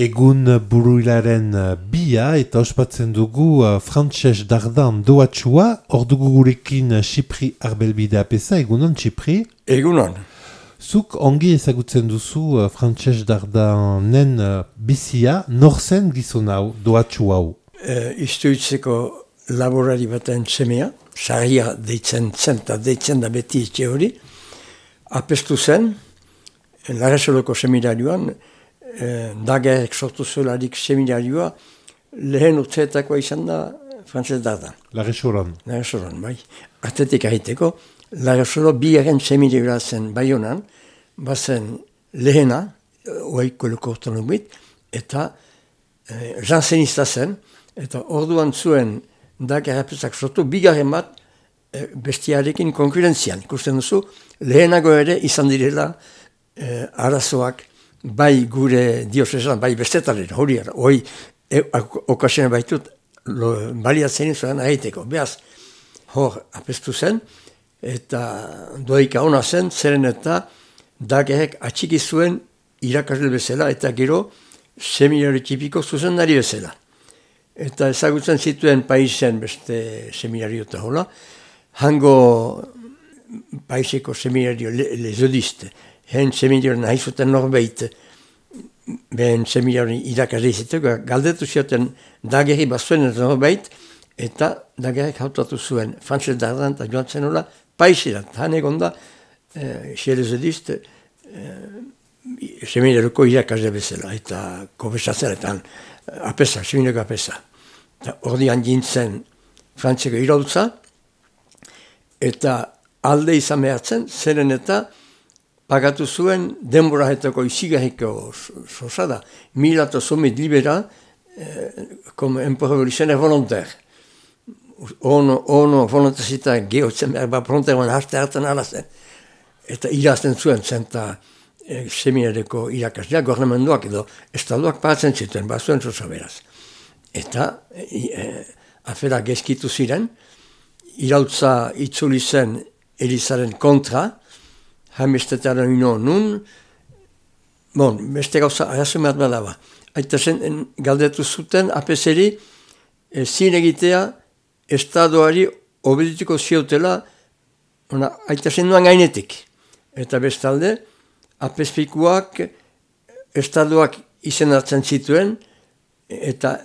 Egun buruilaren bia eta ospatzen dugu Frantses Dardan doatxua, hor dugu gurekin Txipri Arbelbide apesa, egunon Txipri? Egunon. Zuk ongi ezagutzen duzu Frantses Dardanen bizia, nor zen gizon hau, doatxu hau? Istuitzeko laborari baten semea, sarria deitzen zen eta deitzen da beti etxe hori, apestu zen, Larasoloko seminarioan, Dagerek sortu zuelarik seminarioa, lehen urteetakoa izan da Frantses Dardan. Larasolan. Larasolan, bai. Artetik ahiteko, Larasolo bigarren seminarioa zen Baionan, bazen lehena, oaiko lekortan ubit, eta jansenista zen, eta orduan zuen Dagerapezak sortu, bigarren bat bestiarekin konkurentzian. Ikusten duzu, lehenago ere izan direla arazoak, bai gure diosesan, bai bestetaren, hori ara, okasioen baitut, baliatzen zuen ahiteko. Beaz, hor apestu zen, eta doaika ona zen, zeren eta Dagerek atxiki zuen irakasle bezala, eta gero seminari tipiko zuzendari bezala. Eta ezagutzen zituen paisen beste seminario eta hola, hango paiseko seminario lezodiste, hen seminario nahi zuten norbeit, behen seminario irakasle iziteko, galdetu zioten Dagerri bazuen eta norbeit, eta Dagerek hautatu zuen Frantses Dardan eta joan zen hola, paisera, han egon da, lezodiste, seminarioko irakasle bezala, eta konfesatzen, eta apesa, seminarioko apesa. Ordian jintzen Frantzeko irautza, eta alde izan behartzen, zeren eta pagatu zuen denborahetako izigarriko sosada, 1000 libera, como emporevolizioner volontaire. Ono volontazita gehotzen behar, volontaire harte hartzen alazen. Eta irazten zuen zenta seminareko irakaslea, gornamenduak edo estaduak pagatzen zituen, bazuen sosa beraz. Eta afera gezkitu ziren, irautza itzuli zen Elizaren kontra, hamestetearen ino nun, beste gauza arazumeat badaba. Aita zen galdetu zuten apeseri zin egitea estadoari obedituko ziotela, aita zen duan gainetik. Eta bestalde, apespikuak estadoak izenatzen zituen, eta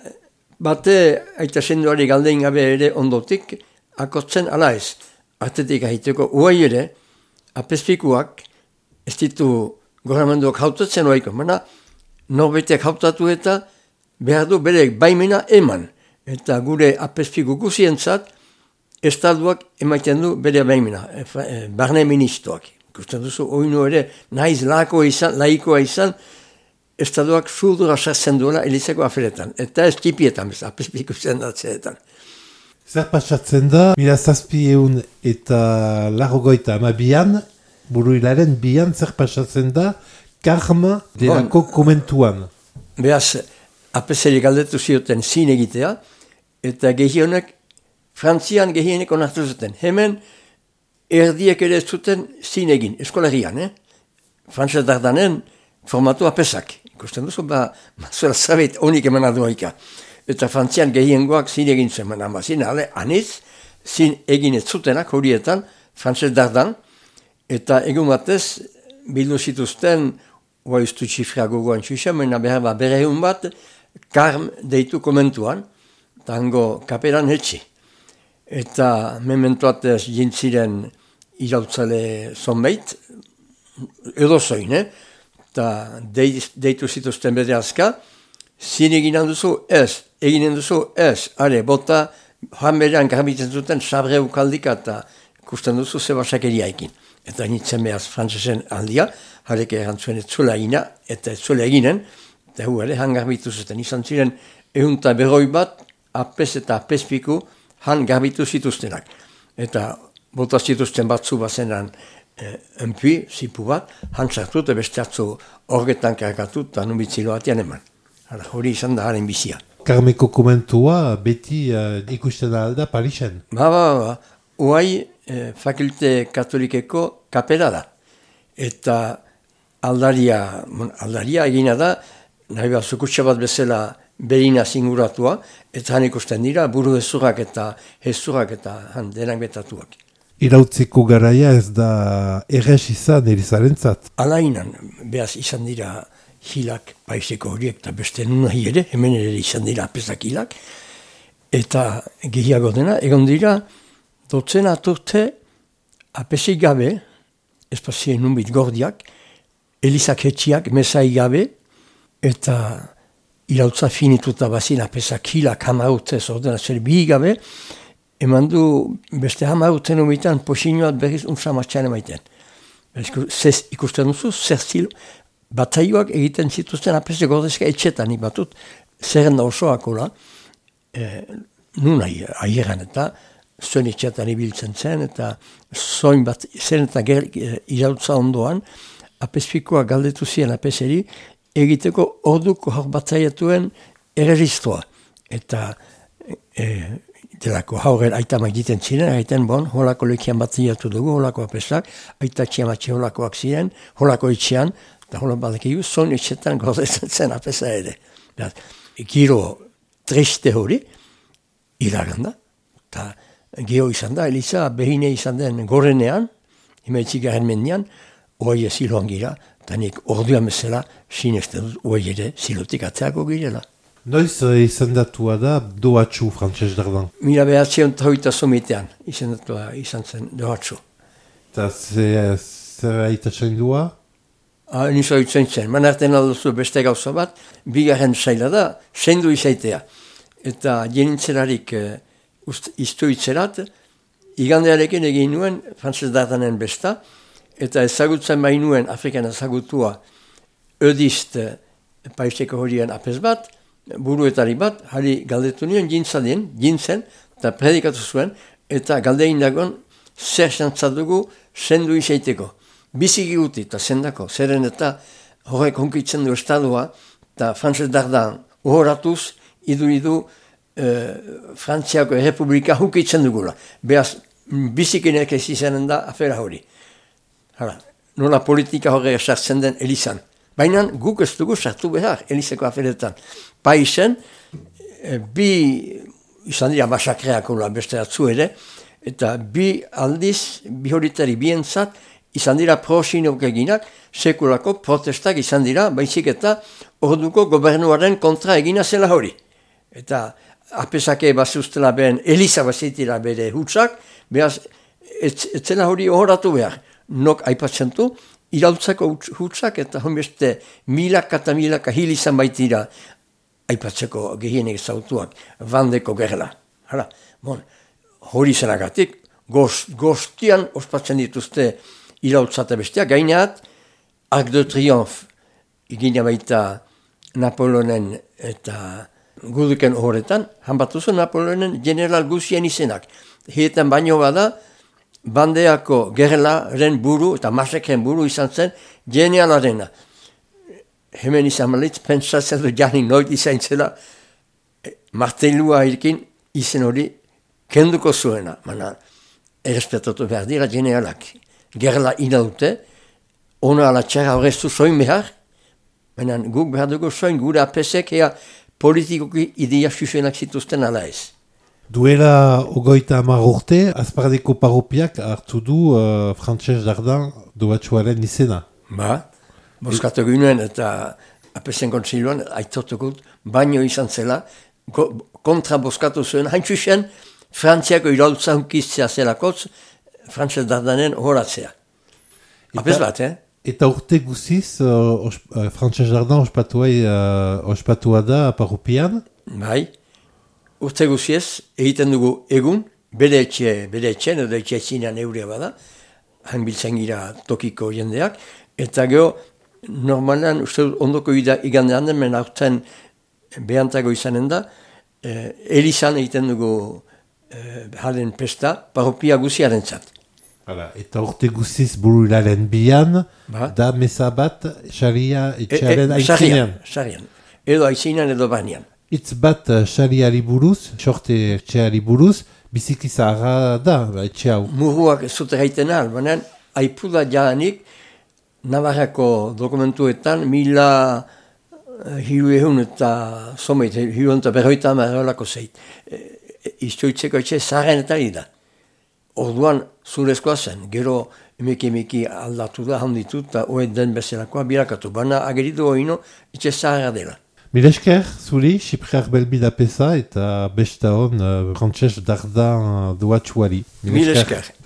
bate aita zenduari galdein gabe ere ondotik, akotzen ala ez. Artetik ahiteko, uai ere, apespikuak ez ditu goramenduak hautatzen oaiko, baina norbeiteak hautatu eta behar du bere baimena eman. Eta gure apespiku guzientzat, estaduak emaiten du bere baimena, barne ministroak. Ikusten duzu, oinu ere, nahiz laikoa izan, estaduak zurdura sartzen duela Elizako aferetan. Eta ez tipietan, apespiku zendatzeetan. Zer pasatzen da, 1700 eta 82an, buruilaren bian zer pasatzen da, karma delako komentuan. Beaz, apeseri galdetu zioten zin egitea, eta gehienek, Frantzian gehienek onartu zuten. Hemen, erdiek ere zuten zin egin, eskolarian, Frantses Dardanen formatu apesak. Ikusten duzu, zuela zabit honik emana duaika. Eta Frantzian gehiengoak zin egin zuen, amazin, aniz, zin egin ez zutenak horietan, Frantses Dardan, eta egun batez, bildu zituzten, oaiztu txifria gogoan txusen, behar berehun bat, karm deitu komentuan, tango kaperan hetxi. Eta mementoatez jintziren irautzale zonbeit, edozoin, eta deitu zituzten bere azka, zin eginen duzu ez, are, bota, joan berean garbitzen zuten, sabre ukaldika eta ikusten duzu zebasakeria ekin. Eta nintzen behaz frantzesen aldia, jarek erantzuen ez zuela egina, eta ez zuela eginen, eta hu ere, han garbitu zuten. Izan ziren, ehunta berroi bat, apes eta apespiku, han garbitu zituztenak. Eta bota zituzten batzu bazenan enpui, zipu bat, han sartu eta beste atzu horgetan karakatu, eta nubitzilo batian eman. Hori izan da haren bizia. Karmeko komentua beti ikusten alda Parisen. Uai fakulte katolikeko kapela da. Eta aldaria egina da nahi behar zukutsa bat bezala berina zinguratua, eta han ikusten dira buru hezurrak eta denak betatuak. Irautziko garaia ez da errez izan Elizarentzat. Alainan, behaz izan dira hilak paiseko horiek, eta beste nahi ere, hemen ere izan dira apezak hilak, eta gehiago dena, egon dira, dotzen aturte apesik gabe, espazien nunbit gordiak, Elizak hetxiak, mesai gabe, eta irautza finituta bazin apesak hilak hamautez ordenatzer bihi gabe, eman du beste hamauten umitan posinoat berriz unsamatxan emaiten. Ikusten duzu, zer zilo, bataioak egiten zituzten apese gordezka etxetan batut, zerrenda osoakola, nun aieran eta zuen etxetan ibiltzen zen, eta zoin bat, zen eta irautza ondoan, apespikoa galdetu ziren apeseri, egiteko orduko hor bataiatuen erregistroa. Eta delako hauren aitamak egiten ziren, egiten holako lekian bataiatu dugu, holako apesak, aitatxiamatxe holakoak ziren, holako etxean, eta holako badakigu, zon etxetan gordezen zen apesa ere. Giro triste hori, iraganda, eta geho izan da, Eliza behine izan den gorenean, imetzik garen mendian, oai ziloan gira, eta nik orduan bezala sinesten dut, oai ere zilotik atzeako girela. Noiz izendatua da Dohatxu Frantses Dardan? 1938 izendatua izan zen Dohatxu. Eta zer aitatzen dua? Nizo itzen zen, manarten alduzu beste gauza bat, bigarren saila da, sendu izaitea. Eta jenintzelarik iztu itzerat, igandearekin egin nuen Frantses Dardanen besta, eta ezagutzen bainuen Afrikan ezagutua ödist paiseko horien apes bat, buruetari bat, hari galdetu nien jintzen, eta predikatu zuen, eta galdein dagoen zer xantzadugu sendu izaiteko. Biziki guti eta sendako, zeren eta horrek honkitzen du estadua, eta Frantses Dardan uhoratuz, idu Frantziako Errepublika hunkitzen dugula. Beaz, bizikinek ez izanen da afera hori. Nola politika horrega sartzen den Elizan. Baina guk ez dugu sartu behar Elizeko aferetan. Paisen, bi izan dira masakreak beste atzu ere, eta bi aldiz, bi horitari bientzat, izan dira pro-sinok eginak, sekulako protestak izan dira, baizik eta orduko gobernuaren kontra egina zela hori. Eta apesake bazuztela behen Eliza bazitira bere hutsak, behaz, etzela hori horatu behar. Nok aipatzen du, irautzako hutsak eta honbeste milaka eta milaka hil izan baitira aipatzeko gehienek zautuak, bandeko gerla. Hori zenagatik, goztian ospatzen dituzte irautzata bestia, gaineat, Arc de Triomphe egina baita Napoleonen eta guduken horretan, hanbatuzu Napoleonen general guzien izenak. Hietan baino bada, bandeako gerlaren buru eta masakren buru izan zen genialarena. Hemen izan malitz, pentsatzen du janik noit izan zela, martelua hilkin izen hori kenduko zuena. Mana, errespetatu behar dira genialak. Gerla ina dute, ona ala txarra horreztu soin behar, baina guk behar dugu soin gure apesek ea politikoki idea susenak zituzten ala ez. Duela 30 urte, Azpardiko paropiak hartu du Frantses Dardan Dohatxuaren izena. Boskatu ginen eta apesen kontsiluan aitortukut baino izan zela, kontra boskatu zuen, hain txusen Frantziako irautza hunkiztzea zelakotz, Frantses Dardanen horatzea. Apes bat, Eta urte guziz, Frantses Dardan ospatua da paropian? Bai. Urte guziez, egiten dugu egun, bere etxen edo etxezinean euria bada, hain biltzen gira tokiko jendeak, eta geho, normalan, uste ondoko igandean den, men aurten behantago izanen da, Elizan egiten dugu haren pesta, paropia guziaren zat. Eta urte guziz buru hilaren bian, da meza bat, xaria etxearen aizinean. Xarian, edo aizinean edo banian. Itz bat xariari buruz, sorte etxeari buruz, biziki zaharra da, etxe hau. Muruak ez zute gaiten ahal, baina aipuda jaanik, Navarrako dokumentuetan, 1000 hiru ehun eta someit, hiru eta berroita amarrolako zeit. Iztoitzeko etxe zaharrenetari da. Orduan zurezkoa zen, gero emeki aldatu da, handitu eta oed den bezalakoa birakatu. Baina ageritu oino etxe zaharra dela. Mila esker, zuri, Xipri Arbelbida peza eta besta hon Frantses Dardan doatxuari. Mila esker.